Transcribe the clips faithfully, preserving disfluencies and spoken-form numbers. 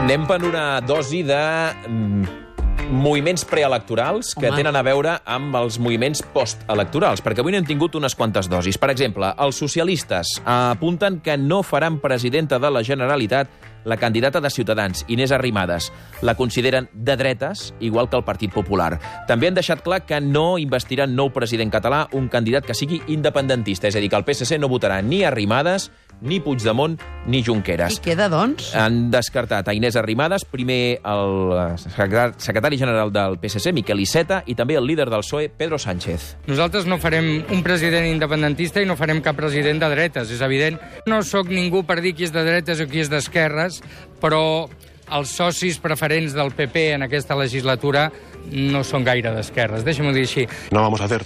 Anem per una dosi de moviments preelectorals que Home. tenen a veure amb els moviments postelectorals, perquè avui n'hem tingut unes quantes dosis. Per exemple, els socialistes apunten que no faran presidenta de la Generalitat la candidata de Ciutadans, Inés Arrimadas. La consideren de dretes, igual que el Partit Popular. També han deixat clar que no investiran nou president català, un candidat que sigui independentista. És a dir, que el P S C no votarà ni Arrimadas, ni Puigdemont, ni Junqueras. I queda, doncs? Han descartat a Inés Arrimadas, primer el secretari general del P S C, Miquel Iceta, i també el líder del P S O E, Pedro Sánchez. Nosaltres no farem un president independentista i no farem cap president de dretes, és evident. No sóc ningú per dir qui és de dretes o qui és d'esquerres, però els socis preferents del P P en aquesta legislatura no són gaire d'esquerres, deixa'm-ho dir així. No vamos a hacer,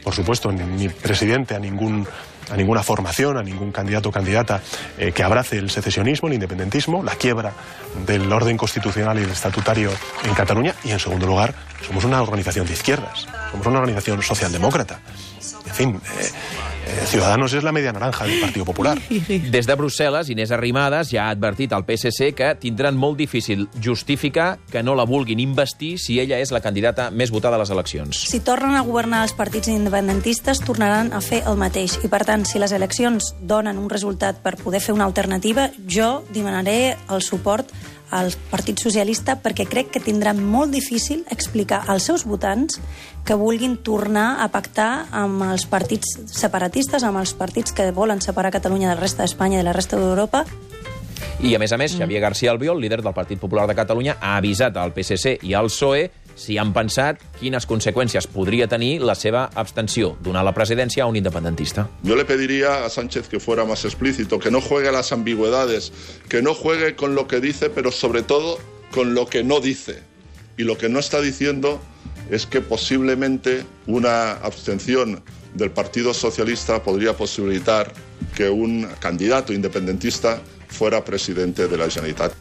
por supuesto, ni, ni presidente a ningún... a ninguna formación, a ningún candidato o candidata eh, que abrace el secesionismo, el independentismo, la quiebra del orden constitucional y el estatutario en Cataluña. Y, en segundo lugar, somos una organización de izquierdas, somos una organización socialdemócrata. En fin, eh, eh, Ciudadanos és la media naranja del Partit Popular. Des de Brussel·les, Inés Arrimadas ja ha advertit al P S C que tindran molt difícil justificar que no la vulguin investir si ella és la candidata més votada a les eleccions. Si tornen a governar els partits independentistes, tornaran a fer el mateix. I, per tant, si les eleccions donen un resultat per poder fer una alternativa, jo demanaré el suport al Partit Socialista perquè crec que tindrà molt difícil explicar als seus votants que vulguin tornar a pactar amb els partits separatistes, amb els partits que volen separar Catalunya de la resta d'Espanya i de la resta d'Europa. I, a més a més, Xavier García Albiol, líder del Partit Popular de Catalunya, ha avisat al P S C i al P S O E si han pensat quines conseqüències podria tenir la seva abstenció, donar la presidència a un independentista. Yo le pediría a Sánchez que fuera más explícito, que no juegue a las ambigüedades, que no juegue con lo que dice, pero sobre todo con lo que no dice. Y lo que no está diciendo es que posiblemente una abstención del Partido Socialista podría posibilitar que un candidato independentista fuera presidente de la Generalitat.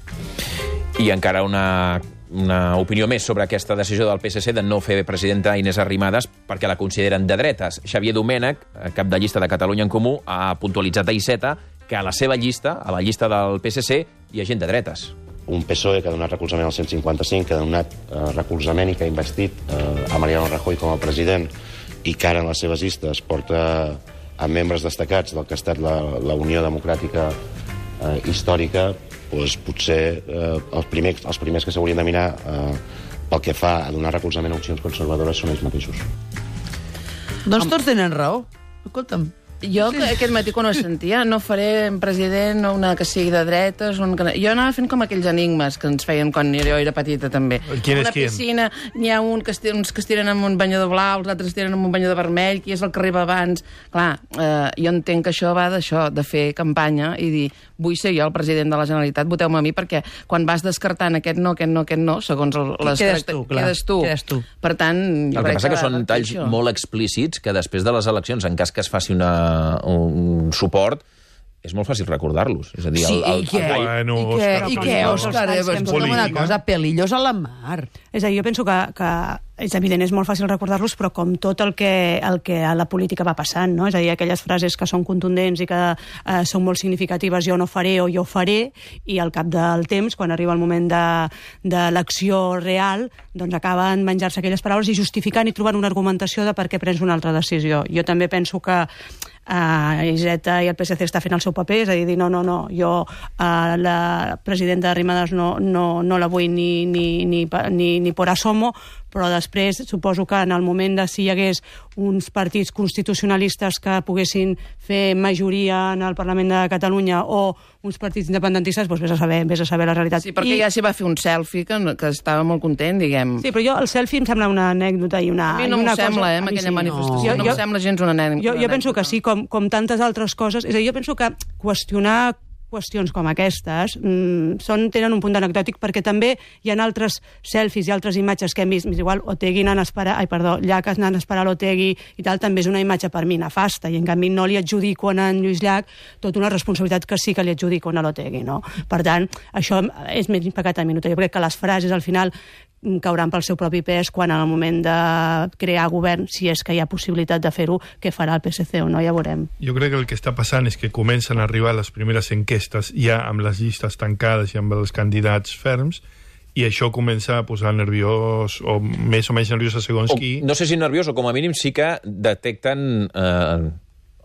I encara una... una opinió més sobre aquesta decisió del P S C de no fer presidenta Inés Arrimadas perquè la consideren de dretes. Xavier Domènech, cap de llista de Catalunya en Comú, ha puntualitzat a Iceta que a la seva llista, a la llista del P S C, hi ha gent de dretes. Un P S O E que ha donat recolzament al cent cinquanta-cinc, que ha donat eh, recolzament i que ha investit eh, a Mariano Rajoy com a president i que ara en les seves llistes porta a membres destacats del que ha estat la, la Unió Democràtica eh, històrica, doncs potser eh, els, primers, els primers que s'haurien de mirar eh, pel que fa a donar recolzament a opcions conservadores són ells mateixos. Doncs tots tenen raó. Escolta'm. Jo sí. Aquest matí quan ho sentia, no faré president una que sigui de dretes, un que... jo anava fent com aquells enigmes que ens feien quan jo era petita també. Qui és una qui? Piscina, n'hi ha un que estiren, uns que estiren amb un banyador blau, els altres estiren amb un banyador vermell, qui és el que arriba abans. Clar, eh, jo entenc que això va d'això, de fer campanya i dir, vull ser jo el president de la Generalitat, voteu-me a mi, perquè quan vas descartant aquest no, aquest no, aquest no, segons el, les quedes tu, clar. Quedes tu. Quedes tu. Per tant, jo el que passa que, que són talls això. molt explícits que després de les eleccions, en cas que es faci una un suport, és molt fàcil recordar-los. És a dir, sí, el, el, i què? el, bueno, I què, I què Òscar? Escolta'm una cosa, pelillos a la mar. És a dir, jo penso que, que és evident, és molt fàcil recordar-los, però com tot el que, el que a la política va passant, no? És a dir, aquelles frases que són contundents i que eh, són molt significatives, jo no faré o jo faré, i al cap del temps, quan arriba el moment de, de l'acció real, doncs acaben menjar-se aquelles paraules i justificant i trobant una argumentació de per què prens una altra decisió. Jo també penso que Uh, Iceta i el P S C està fent el seu paper, és a dir, no, no, no, jo uh, la presidenta Arrimadas no, no, no la vull ni, ni, ni, ni, ni por asomo, però després suposo que en el moment de si hi hagués uns partits constitucionalistes que poguessin fer majoria en el Parlament de Catalunya o uns partits independentistes, doncs vés a saber, vés a saber la realitat. Sí, perquè I... ja s'hi va fer un selfie que, que estava molt content, diguem. Sí, però jo el selfie em sembla una anècdota i una... A mi no m'ho sembla, cosa... eh, amb aquella sí, manifestació. No, no m'ho sembla gens una anècdota. Jo, jo penso que sí, com, com tantes altres coses. És a dir, jo penso que qüestionar qüestions com aquestes mmm, són, tenen un punt anecdòtic perquè també hi ha altres selfies i altres imatges que hem vist, igual Otegi anant a esperar, ai, perdó, Llach anant a esperar l'Otegi i tal, també és una imatge per mi nefasta i en canvi no li adjudico a en Lluís Llach tota una responsabilitat que sí que li adjudico a l'Otegi, no? Per tant, això és més pecat a mi. Jo crec que les frases al final cauran pel seu propi pes quan en el moment de crear govern, si és que hi ha possibilitat de fer-ho, què farà el P S C o no, ja veurem. Jo crec que el que està passant és que comencen a arribar les primeres enquestes ja amb les llistes tancades i amb els candidats ferms, i això comença a posar nerviós, o més o menys nerviós a segons o, qui. No sé si nerviós, o com a mínim sí que detecten eh,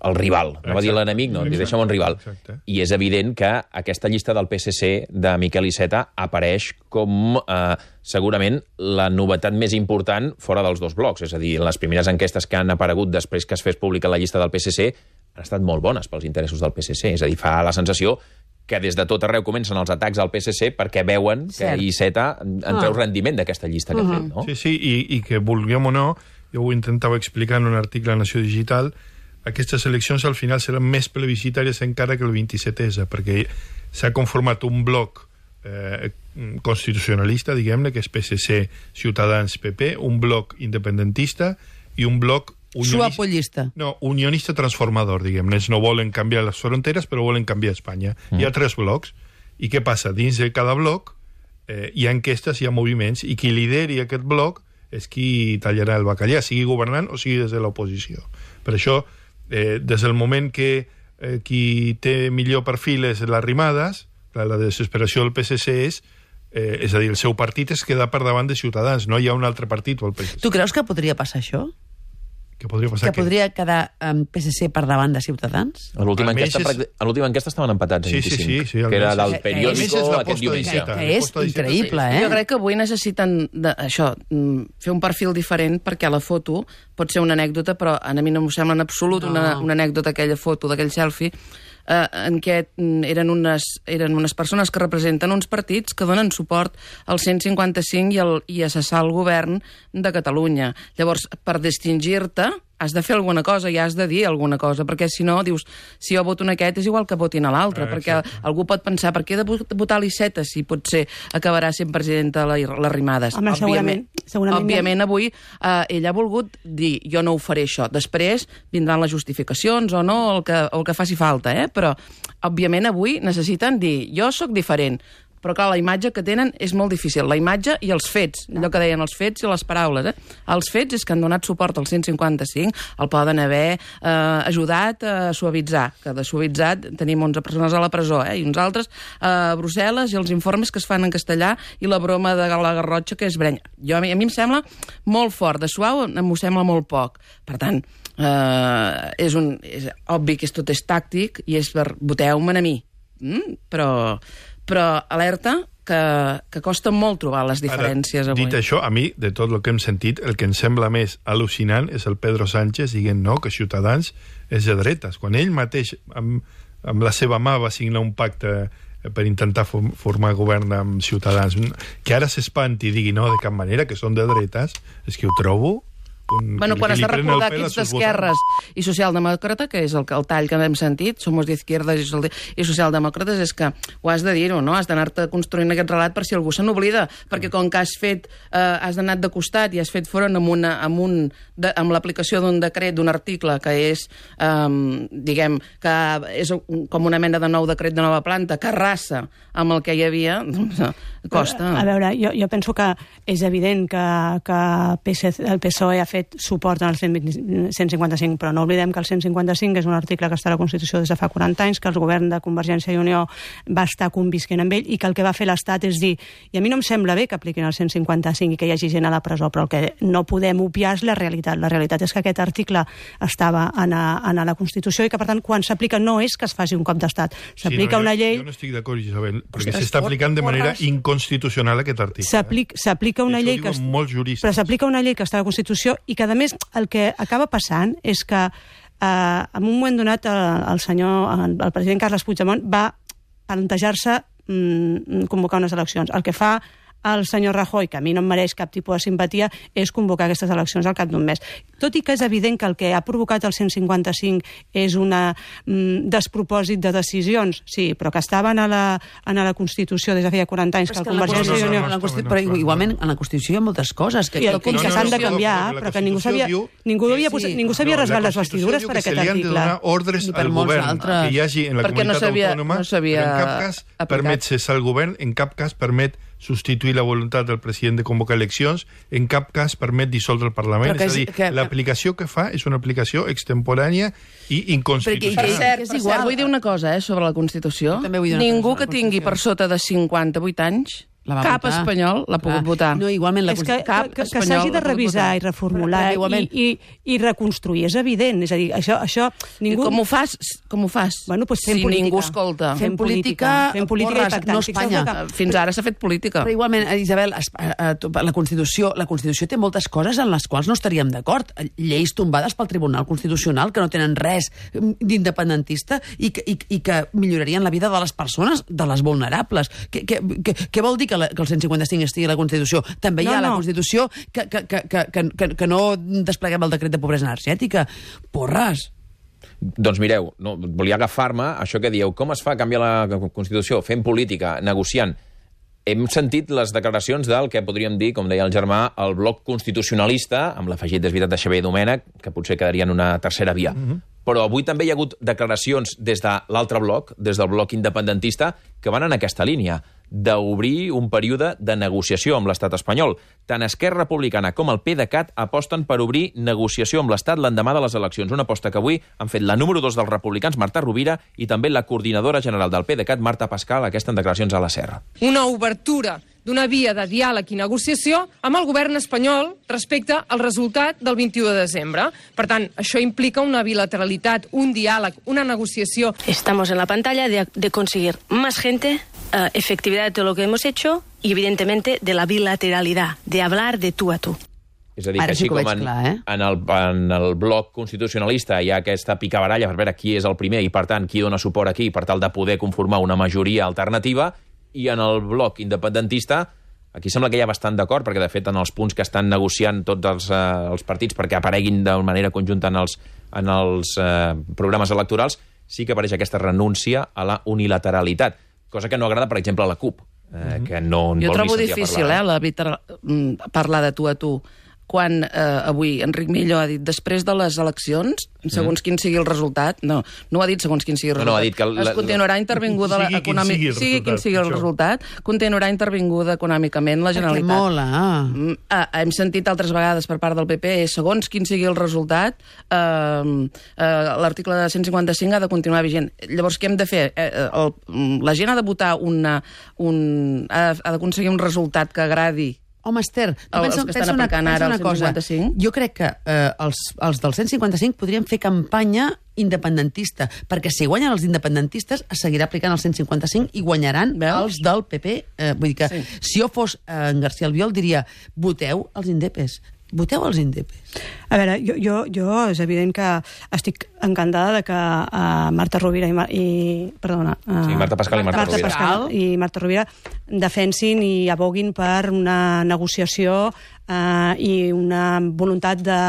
el rival. No va dir l'enemic, no, li deixem un rival. Exacte. I és evident que aquesta llista del P S C de Miquel Iceta apareix com eh, segurament la novetat més important fora dels dos blocs. És a dir, les primeres enquestes que han aparegut després que es fes pública la llista del P S C han estat molt bones pels interessos del P S C. És a dir, fa la sensació que des de tot arreu comencen els atacs al P S C perquè veuen Cert. que Iceta en treu ah. rendiment d'aquesta llista que uh -huh. ha fet. No? Sí, sí, i, i que vulguem o no, jo ho intentava explicar en un article a Nació Digital, aquestes eleccions al final seran més plebiscitàries encara que el vint-i-set essa, perquè s'ha conformat un bloc eh, constitucionalista, diguem-ne, que és P S C, Ciutadans, P P, un bloc independentista i un bloc unionista, suapollista. No, unionista transformador, diguem-ne. No volen canviar les fronteres, però volen canviar Espanya. Mm. Hi ha tres blocs. I què passa? Dins de cada bloc eh, hi ha enquestes, hi ha moviments, i qui lideri aquest bloc és qui tallarà el bacallà, sigui governant o sigui des de l'oposició. Per això, eh, des del moment que eh, qui té millor perfil és l'Arrimadas, la desesperació del P S C és eh, és a dir, el seu partit es queda per davant de Ciutadans, no hi ha un altre partit o el P S C. Tu creus que podria passar això? Que podria passar que podria quedar amb P S C per davant de Ciutadans? A l'última enquesta, és... enquesta estaven empatats. Sí, sí, sí, sí, que era del periòdico aquest diumenge. Que és increïble, eh? Jo crec que avui necessiten de, això, fer un perfil diferent, perquè la foto pot ser una anècdota, però a mi no m'ho sembla en absolut no. una, una anècdota, aquella foto d'aquell selfie, eh, en què eren unes, eren unes persones que representen uns partits que donen suport al cent cinquanta cinc i, el, i a cessar el govern de Catalunya. Llavors, per distingir-te, has de fer alguna cosa i has de dir alguna cosa, perquè si no, dius, si jo voto en aquest és igual que votin a l'altre, ah, perquè algú pot pensar, per què he de votar l'Iceta si potser acabarà sent presidenta l'Arrimadas? Home, segurament. segurament Òbviament, avui eh, ell ha volgut dir, jo no ho faré això. Després vindran les justificacions o no, el que, el que faci falta, eh? Però, òbviament, avui necessiten dir, jo sóc diferent. Però, clar, la imatge que tenen és molt difícil. La imatge i els fets, allò que deien els fets i les paraules. Eh? Els fets és que han donat suport al cent cinquanta cinc, el poden haver eh, ajudat a suavitzar, que de suavitzat tenim onze persones a la presó, eh? I uns altres a Brussel·les, i els informes que es fan en castellà, i la broma de la Garrotxa, que és brenya. Jo, a, mi, a mi em sembla molt fort, de suau m'ho sembla molt poc. Per tant, eh, és, un, és obvi que és, tot és tàctic, i és per voteu-me a mi. Mm? Però... però alerta que, que costa molt trobar les diferències. Ara, avui. Dit això, a mi, de tot el que hem sentit, el que em sembla més al·lucinant és el Pedro Sánchez dient no, que Ciutadans és de dretes. Quan ell mateix, amb, amb la seva mà, va signar un pacte per intentar formar govern amb Ciutadans, que ara s'espanti i digui no, de cap manera, que són de dretes, és que ho trobo... Un, bueno, quan has de recordar que ets d'esquerres i socialdemòcrata, que és el, el tall que hem sentit, somos d'izquierdes i, i socialdemòcrates, és que ho has de dir-ho, no? Has d'anar-te construint aquest relat per si algú se n'oblida, perquè com que has fet, eh, has anat de costat i has fet front amb, una, amb, un, de, amb l'aplicació d'un decret, d'un article que és, eh, diguem, que és com una mena de nou decret de nova planta, que arrasa amb el que hi havia, doncs, costa. A, a veure, jo, jo penso que és evident que, que P S C, el P S O E ha fet suport al cent cinquanta-cinc, però no oblidem que el cent cinquanta-cinc és un article que està a la Constitució des de fa quaranta anys, que el govern de Convergència i Unió va estar convisquent amb ell, i que el que va fer l'Estat és dir, i a mi no em sembla bé que apliquin el cent cinquanta-cinc i que hi hagi gent a la presó, però el que no podem obviar és la realitat. La realitat és que aquest article estava en a, en a la Constitució i que, per tant, quan s'aplica no és que es faci un cop d'Estat, s'aplica sí, no, una llei... Jo no estic d'acord, Isabel, perquè s'està aplicant de manera inconstitucional aquest article. S'aplica una llei que... Però s'aplica una llei que està a la Constitució i que, a més, el que acaba passant és que eh, en un moment donat el, el senyor, el, el president Carles Puigdemont va plantejar-se mm, convocar unes eleccions. El que fa el senyor Rajoy, que a mi no em mereix cap tipus de simpatia, és convocar aquestes eleccions al cap d'un mes. Tot i que és evident que el que ha provocat el cent cinquanta-cinc és un mm, despropòsit de decisions, sí, però que estaven a la, a la Constitució des de feia quaranta anys, que el Convergència i Unió... Però igualment, en la Constitució hi ha moltes coses que, I el, que, que s'han de canviar, però que ningú s'havia ningú havia posat, ningú s'havia rasgat les vestidures per aquest article. Se li han de donar ordres al govern que hi hagi en la comunitat autònoma, però en cap cas permet cessar el govern, en cap cas permet substituir la voluntat del president de convocar eleccions, en cap cas permet dissoldre el Parlament. Que, és a dir, que, l'aplicació que fa és una aplicació extemporània i inconstitucional. Per cert, és igual. Vull dir una cosa, eh, sobre la Constitució. Ningú que tingui per sota de cinquanta-vuit anys, cap votar. espanyol l'ha pogut Clar. votar. No, igualment, la és que, cap que, que s'hagi de revisar i reformular i, i, i reconstruir, és evident. És a dir, això... això ningú... Com ho fas? Com ho fas? Bueno, pues fem si política. ningú escolta. Fem política, fem política porres, i pactant. No Espanya. Que... Fins ara s'ha fet política. Però igualment, Isabel, la Constitució, la Constitució té moltes coses en les quals no estaríem d'acord. Lleis tombades pel Tribunal Constitucional que no tenen res d'independentista i que, i, i que millorarien la vida de les persones, de les vulnerables. Què, què, què, què vol dir que, la, que el cent cinquanta-cinc estigui a la Constitució? També hi ha no, no. la Constitució que, que, que, que, que, que no despleguem el decret de pobresa energètica. Porres! Doncs mireu, no, volia agafar-me això que dieu, com es fa canviar la Constitució? Fent política, negociant. Hem sentit les declaracions del que podríem dir, com deia el germà, el bloc constitucionalista, amb l'afegit desvitat de Xavier Domènech, que potser quedaria en una tercera via. Mm-hmm. Però avui també hi ha hagut declaracions des de l'altre bloc, des del bloc independentista, que van en aquesta línia, d'obrir un període de negociació amb l'estat espanyol. Tant Esquerra Republicana com el PDeCAT aposten per obrir negociació amb l'estat l'endemà de les eleccions. Una aposta que avui han fet la número dos dels republicans, Marta Rovira, i també la coordinadora general del PDeCAT, Marta Pascal, aquesta en declaracions a la Serra. Una obertura d'una via de diàleg i negociació amb el govern espanyol respecte al resultat del vint-i-u de desembre. Per tant, això implica una bilateralitat, un diàleg, una negociació. Estamos en la pantalla de, de conseguir más gente, uh, efectividad de lo que hemos hecho y, evidentemente, de la bilateralidad, de hablar de tú a tú. És a dir, que així com en, clar, eh? en, el, en el bloc constitucionalista hi ha aquesta picabaralla per veure qui és el primer i, per tant, qui dona suport aquí per tal de poder conformar una majoria alternativa, i en el bloc independentista aquí sembla que hi ha bastant d'acord, perquè de fet en els punts que estan negociant tots els, eh, els partits perquè apareguin de manera conjunta en els, en els eh, programes electorals, sí que apareix aquesta renúncia a la unilateralitat, cosa que no agrada, per exemple, a la CUP, eh, mm-hmm. que no en jo vol trobo ni sentir difícil, a parlar. Eh, la, parlar de tu a tu, quan eh, avui Enric Millo ha dit després de les eleccions, segons mm. quin sigui el resultat, no, no ho ha dit segons quin sigui el resultat, no, no, ha dit que la, es continuarà intervinguda sigui econòmic, quin sigui, sigui quin sigui el resultat, continuarà intervinguda econòmicament la Generalitat. Perquè mola. Mm, eh, hem sentit altres vegades per part del P P, segons quin sigui el resultat, eh, eh, l'article de cent cinquanta-cinc ha de continuar vigent. Llavors, què hem de fer? Eh, el, la gent ha de votar una, un, ha, ha d'aconseguir un resultat que agradi. Home, Esther, tu El, pensa, els que pensa estan una, aplicant pensa ara una el cosa. cent cinquanta-cinc. Jo crec que eh, els, els del cent cinquanta-cinc podrien fer campanya independentista, perquè si guanyen els independentistes es seguirà aplicant el cent cinquanta-cinc i guanyaran Veus? els del P P. Eh, vull dir que sí. Si jo fos eh, en García Albiol diria voteu els indepes. Voteu els indepes. A veure, jo, jo, jo és evident que estic encantada de que uh, Marta Rovira i, i perdona, uh, sí, Marta Pascal i Marta, Marta Rovira. Pascal i Marta Rovira defensin i aboguin per una negociació uh, i una voluntat de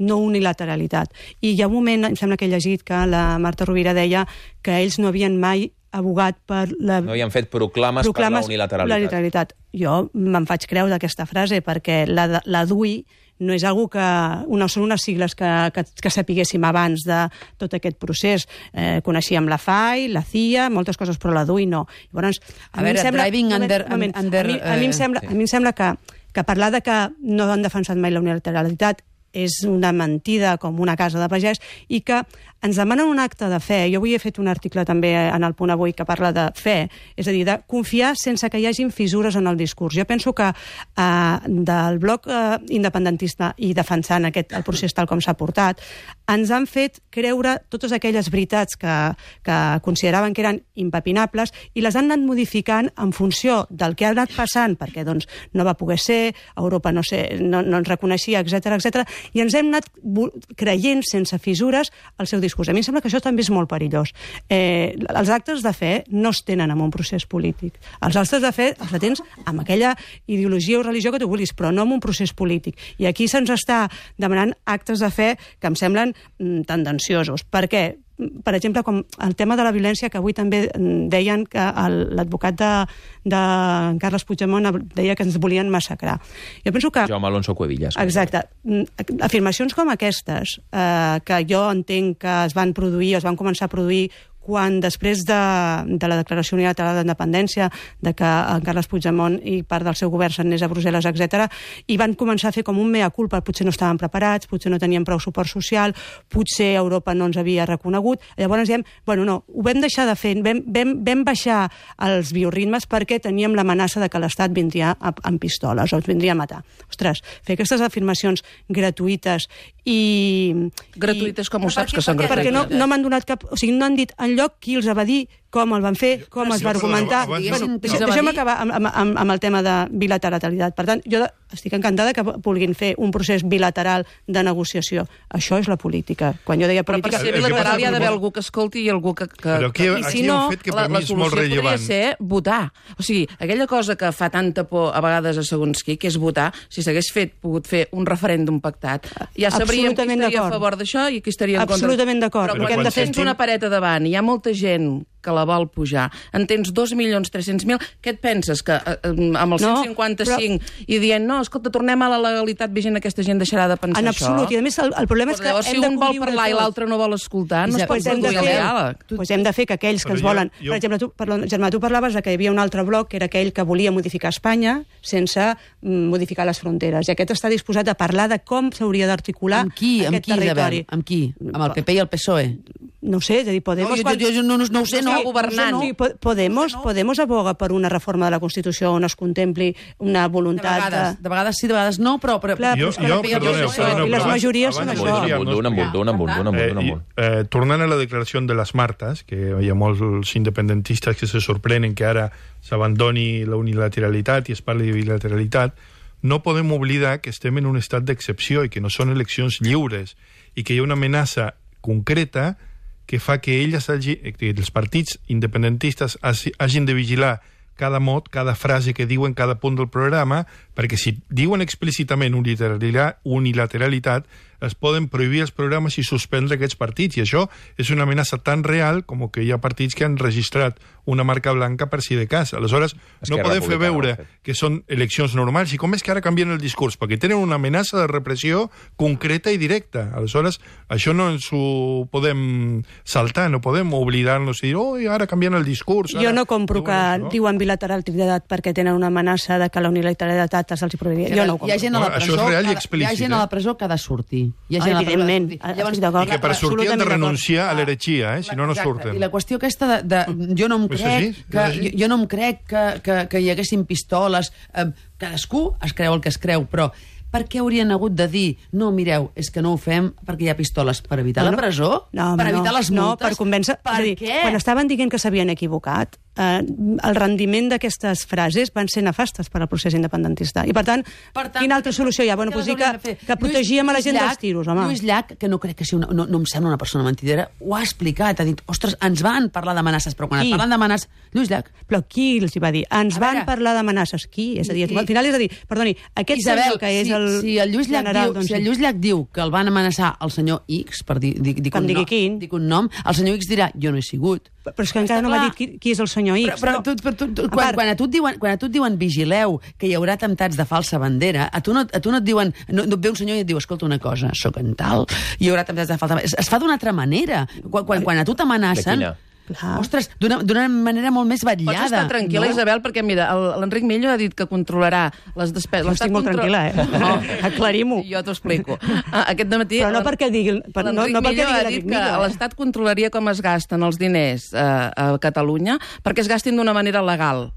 no unilateralitat. I hi ha un moment, em sembla que he llegit, que la Marta Rovira deia que ells no havien mai abogat per la... No havien fet proclames, proclames per la unilateralitat. unilateralitat. Jo me'n faig creu d'aquesta frase perquè la, la D U I no és algo que... No són unes sigles que, que, que sapiguéssim abans de tot aquest procés. Eh, coneixíem la F A I, la C I A, moltes coses, però la D U I no. Llavors, a, a veure, sembla, driving moment, under... moment, under a, mi, a, mi em sembla, sí. a mi em sembla que, que parlar de que no han defensat mai la unilateralitat és una mentida com una casa de pagès i que ens demanen un acte de fe. Jo avui he fet un article també en el Punt Avui que parla de fe, és a dir, de confiar sense que hi hagin fissures en el discurs. Jo penso que eh, del bloc eh, independentista i defensant aquest, el procés tal com s'ha portat, ens han fet creure totes aquelles veritats que, que consideraven que eren impepinables i les han anat modificant en funció del que ha anat passant, perquè doncs, no va poder ser, Europa no, sé, no, no ens reconeixia, etcètera, etcètera, i ens hem anat creient sense fissures el seu discurs. A mi em sembla que això també és molt perillós. Eh, els actes de fe no es tenen en un procés polític. Els actes de fe els tens amb aquella ideologia o religió que tu vulguis, però no en un procés polític. I aquí se'ns està demanant actes de fe que em semblen mm, tendenciosos. Per què? Per exemple, com el tema de la violència, que avui també deien que l'advocat de, de Carles Puigdemont deia que ens volien massacrar. Jo penso que... Jaume Alonso Cuevillas. Exacte. Afirmacions com aquestes, eh, que jo entenc que es van produir, es van començar a produir quan després de, de la declaració unilateral d'independència, de que en Carles Puigdemont i part del seu govern s'anés a Brussel·les, etcètera, i van començar a fer com un mea culpa, potser no estaven preparats, potser no tenien prou suport social, potser Europa no ens havia reconegut. Llavors diem, bueno, no, ho vam deixar de fer, vam, vam, vam baixar els bioritmes perquè teníem l'amenaça de que l'Estat vindria amb pistoles o ens vindria a matar. Ostres, fer aquestes afirmacions gratuïtes i... Gratuïtes com ho saps que són gratuïtes? Perquè no, no m'han donat cap... O sigui, no han dit enlloc qui els va dir, com el van fer, com es va argumentar. Bueno, deixem acabar amb, amb, amb el tema de bilateralitat. Per tant, jo estic encantada que vulguin fer un procés bilateral de negociació. Això és la política. Quan jo deia política... Però per ser bilateral hi ha d'haver algú que escolti i algú que... que... Però aquí, I si aquí no, un fet que per la, mi la és molt solució podria rellevant. ser votar. O sigui, aquella cosa que fa tanta por a vegades a segons qui, que és votar, si s'hagués fet, pogut fer un referèndum pactat, ja sabríem qui estaria a favor d'això i qui estaria en contra. Absolutament d'acord. Però quan tens una pareta davant i hi ha molta gent que la vol pujar, en tens dos milions tres-cents mil, què et penses? Que eh, amb el cent cinquanta-cinc no, però... i dient, no, escolta, tornem a la legalitat vigent, aquesta gent deixarà de pensar en això? En absolut, i a més el, el problema és que llavors, hem si un vol parlar tot. I l'altre no vol escoltar, no es pot pues produir el diàleg. Pues hem de fer que aquells que ens volen... Jo... Per exemple, tu, perdó, Germà, tu parlaves de que hi havia un altre bloc que era aquell que volia modificar Espanya sense mm, modificar les fronteres, i aquest està disposat a parlar de com s'hauria d'articular amb qui, aquest amb qui, territori. Isabel? Amb qui? Amb el P P i el P S O E? No ho sé, és a dir, Podemos... No, jo, jo, jo no, no ho sé, no. no governant. Sí, Podemos, Podemos aboga per una reforma de la Constitució on es contempli una voluntat... De vegades, de vegades sí, de vegades no, però... però... Clar, jo, jo, perdoneu, perdoneu, I les majories són això. Un amunt, un amunt, un amunt. Tornant a la declaració de les Martes, que hi ha molts independentistes que se sorprenen que ara s'abandoni la unilateralitat i es parli de bilateralitat, no podem oblidar que estem en un estat d'excepció i que no són eleccions lliures i que hi ha una amenaça concreta que fa que elles hagi, que els partits independentistes hagin de vigilar cada mot, cada frase que diuen cada punt del programa, perquè si diuen explícitament unilateralitat, es poden prohibir els programes i suspendre aquests partits, i això és una amenaça tan real com que hi ha partits que han registrat una marca blanca per si de cas. Aleshores, no podem fer veure que són eleccions normals, i com és que ara canvien el discurs? Perquè tenen una amenaça de repressió concreta i directa. Aleshores, això no ens ho podem saltar, no podem oblidar-nos i dir, oh, ara canvien el discurs. Jo no compro que diuen bilateralitat perquè tenen una amenaça de que la unilateralitat se'ls prohibia. Jo no ho compro. Hi ha gent a la presó, això és real i hi explícit. Hi ha gent a la presó que ha de sortir. Hi ha gent evidentment. Llavors, I que per sortir han de renunciar a l'heretgia, eh? Si no, no surten. I la qüestió aquesta de... de jo no em crec que, jo, jo no em crec que, que, que hi haguessin pistoles. Eh, cadascú es creu el que es creu, però per què haurien hagut de dir no, mireu, és que no ho fem perquè hi ha pistoles? Per evitar no, no. la presó? No, per evitar no, les multes? No, per convèncer... Per dir, què? Quan estaven dient que s'havien equivocat, eh, el rendiment d'aquestes frases van ser nefastes per al procés independentista. I, per tant, per tant quina altra solució hi ha? Bueno, pues dir que, que protegíem a la gent dels tiros, home. Lluís Llach, que no crec que sigui una, no, no em sembla una persona mentidera, ho ha explicat, ha dit, ostres, ens van parlar d'amenaces, però quan qui? et parlen d'amenaces... Lluís Llach. Però qui els hi va dir? Ens van parlar d'amenaces. Qui? És a dir, al final és a dir, perdoni, aquest Isabel, senyor que és si, el si el Lluís Llach general... Diu, doncs, si el Lluís Llach diu que el van amenaçar el senyor X, per dir, dir, dir, un, no, dir un nom, el senyor X dirà, jo no he sigut. Però és que encara no m'ha dit qui, qui és el senyor X. Però, però, tu, però tu, tu, quan, quan, a tu et diuen, quan a tu et diuen vigileu que hi haurà atemptats de falsa bandera, a tu no, a tu no et diuen, no, no et ve un senyor i et diu, escolta una cosa, sóc en tal, hi haurà atemptats de falsa bandera. Es, es fa d'una altra manera. Quan, quan, quan a tu t'amenacen... Clar. Ostres, d'una manera molt més vetllada. Pots estar tranquil·la, no? Isabel, perquè mira, l'Enric Millo ha dit que controlarà les despeses. Estic molt contro... tranquil·la, eh? No. Aclarim-ho. Jo t'ho explico. Aquest dematí... Però no perquè digui... Per, no, no perquè digui ha dit que eh? l'Estat controlaria com es gasten els diners eh, a Catalunya perquè es gastin d'una manera legal.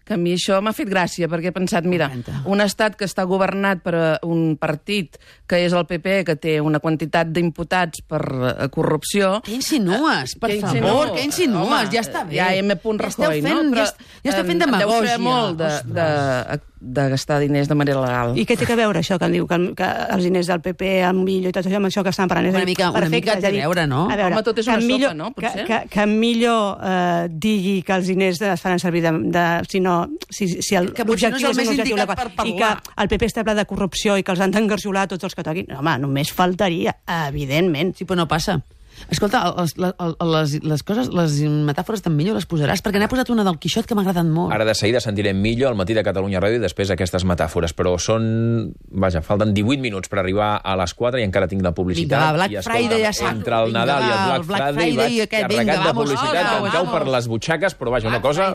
Que a mi això m'ha fet gràcia, perquè he pensat, mira, un estat que està governat per un partit que és el P P, que té una quantitat d'imputats per uh, corrupció... Què insinues? Per que favor, insinuo? què insinues? Home, ja està bé. Ja M. Rajoy, ja no? Però, ja, ja esteu fent demagògia. Deu fer molt de, de, de gastar diners de manera legal. I què té que veure això, que em diu que, que els diners del P P, el Millo i tot això, amb això que estan parlant? Una mica, una mica té a veure, no? A veure, home, tot és una Millo, sopa, no? Potser? Que, que, que Millo eh, digui que els diners es faran servir de... de si no, si, si el, que potser no és el més indicat per parlar. I que el P P està ple de corrupció i que els han d'engarjolar tots els que toquin. Home, només faltaria, evidentment. Sí, però no passa. Escolta, les, les, les coses, les metàfores d'en Millo les posaràs? Perquè n'he posat una del Quixot que m'ha agradat molt. Ara de seguida sentirem Millo al matí de Catalunya Ràdio i després aquestes metàfores, però són... Vaja, falten divuit minuts per arribar a les quatre i encara tinc la publicitat. Vinga, va, Black I, escolta, Friday ja sac. entre el Vinga, Nadal va, i el Black, el Black Friday, Friday vaig aquest, carregat vinga, de vamos, publicitat vamos, que em cau vamos. per les butxaques, però vaja, una cosa...